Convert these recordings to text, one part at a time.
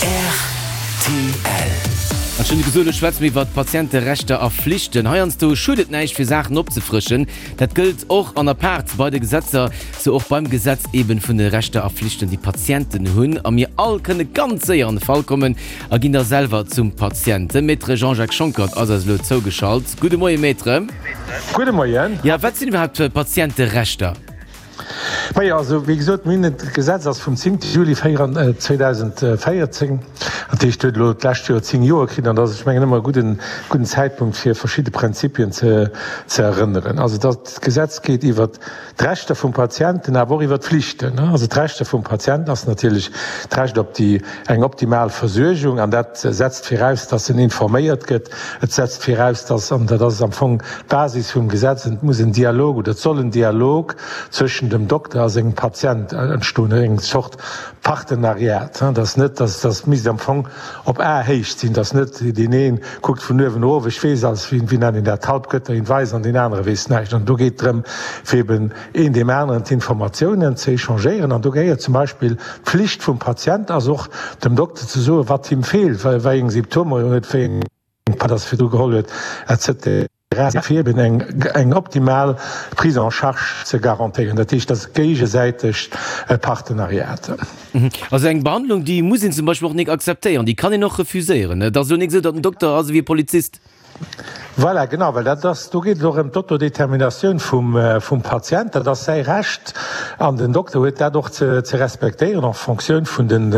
Rtl. An ech hunn gesot, elo schwätze mir iwwert Patienterechter a Flichten. Heiansdo schued et näischt, fir Saachen opzefrëschen. Dat gëllt och an apaart bei de Gesetzer, sou och beim Gesetz eben vun de Rechter a Flichten, déi Patienten hunn. A mir all kënne ganz séier an de Fall kommen a ginn da selwer zum Patient. De Maître Jean-Jacques Schonckert ass eis elo zougeschalt. Gudde Moie Maître. Gudde Moien. Jo, wat sinn iwwerhaapt Patienterechter? Majo, also wéi gesot, mir hunn et, d'Gesetz ass vum 10. Juli 2014, dat heescht huet elo d'lescht Joer 10 Joer kritt, an dat ass, ech mengen, ëmmer e gudden, gudden Zäitpunkt fir verschidde Prinzipien ze, ze erënneren. Also dat Gesetz geet iwwert d'Rechter vum Patienten, awer och iwwert d'Flichten. Also d'Rechter vum Patient ass natierlech d'Recht op déi, eng optimal Versuergung, an dat setzt viraus, dass en informéiert gëtt. Et setzt viraus, dass, an dat ass am Fong d'Basis vum Gesetz, et muss en Dialog oder et soll en Dialog zwëschen dem Dokter a sengem Patient entstoen, eng Zort Partenariat, dass net, dass, dass misst am Fong op Aehéicht sinn, dass net deen ee kuckt vun uewen erof, ech weess alles, wéi, wéi nennen een dat, d'Halbgötter in weiß an deen anere weess näischt. An do geet et drëm, fir eben een deem aneren d'Informatiounen ze échangéieren. An do gehéiert zum Beispill d'Pflicht vum Patient ass och, dem Dokter ze soen, wat him feelt, wéi eng Symptomer en huet, wéi eng Pad ass virdru geholl huet, etc. Fir eben eng eng optimal Prise en charge ze garantéieren. Dat heescht, dat ass e géigesäitegt Partenariat. Also eng Behandlung, déi muss een zum Beispill och nik akzeptéieren, déi kann een och refuséieren. Et ass elo nik esou, datt den Dokter ass ewéi e Polizist. Voilà, genau, well dat ass, do geet et och ëm d'Autodéterminatioun vum, vum Patient. Dat ass säi Recht an den Dokter huet dat och ze, ze respektéieren en Fonctioun vun den,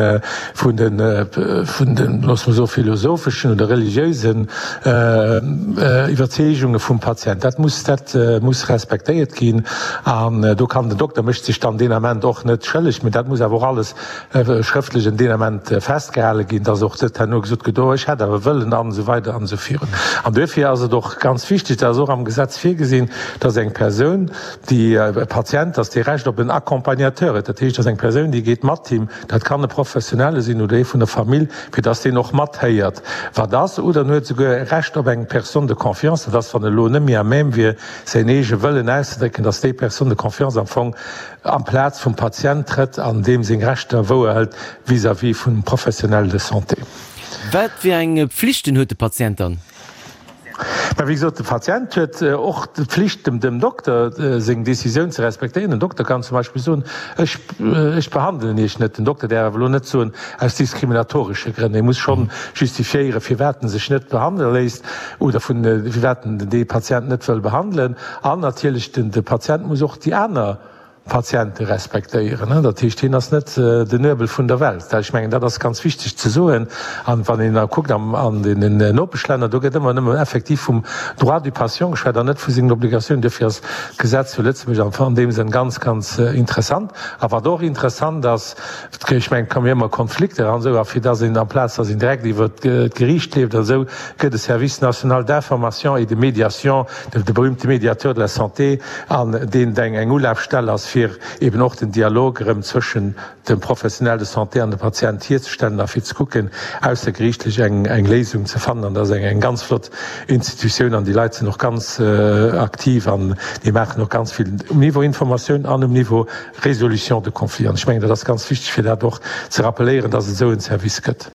vun den, vun den, loosse mer soen, philosopheschen oder religiösen Iwwerzeegunge vum Patient. Dat muss, dat muss respektéiert ginn an do kann den Dokter mécht sech dann deen Ament och net schëlleg, mä dat muss awer och alles schrëftlech en deen Ament festgehale ginn, dass och net herno gesot gëtt, oh ech hätt awer wëllen an esou weider an esou virun. An duerfir ass et och ganz wichteg, dat ass och am Gesetz virgesinn, dass eng Persoun, déi e Patient ass, dee Recht op en Accompagnateur huet. Dat heescht, dass eng Persoun, déi geet mat him, dat kann e Professionelle sinn oder ee vun der Famill, fir dass deen och matheéiert, wat ass, oder en huet souguer e Recht op eng Personne de confiance, dat ass, wann e lo net méi à même wier, säin eege Wëllen auszedrécken, dass déi Personne de confiance am Fong amplaz vum Patient trëtt an deem seng Rechter wouerhëlt vis-à-vis vum Professionnel de santé. Wat fir eng Pflichten huet de Patient dann? Mä wéi gesot, de Patient huet och d'Pflicht, dem Dokter seng Décisioun ze respektéieren. Den Dokter kann zum Beispill soen, ech, ech behandelen Iech net. Den Dokter däerf awer elo net soen, aus diskriminatoresche Grënn. E muss schonn justifiéieren, firwat en sech net behandele léisst oder vun, firwat en dee Patient net wëll behandelen. An natierlech, de Patient muss och déi aner Patiente respektéieren. Dat heescht, hien ass net den Nuebel vun der Welt. Ech mengen, dat ass ganz wichteg ze soen. An wann een da kuckt an deenen Nopeschlänner, do gëtt ëmmer nëmme effektiv vum Droit du patient geschwat an net vu sengen Obligatiounen. Duerfir ass d'Gesetz zu Lëtzebuerg an deem Sënn ganz, ganz interessant. A wat och interessant ass, Ech mengen, et kommen jo ëmmer Konflikter an esou, a fir dass een, amplaz dass een direkt iwwert d'Geriicht leeft an esou, gëtt e Service national d'information et de médiation, de berühmte Médiateur de la santé, an deen eng eng Ulafstell ass, fir eben och den Dialog erëm zwëschen dem Professionnel de santé an dem Patient hierzestellen a fir ze kucken, aussergeriichtlech eng eng Léisung ze fannen. An dat ass eng eng ganz flott Institutioun an déi Leit sinn och ganz aktiv an déi maachen och ganz vill um Niveau Informatioun an um Niveau Résolution de conflits. An ech mengen, dat ass ganz wichteg, fir dat och ze rappeléieren, dass et esou en Service gëtt.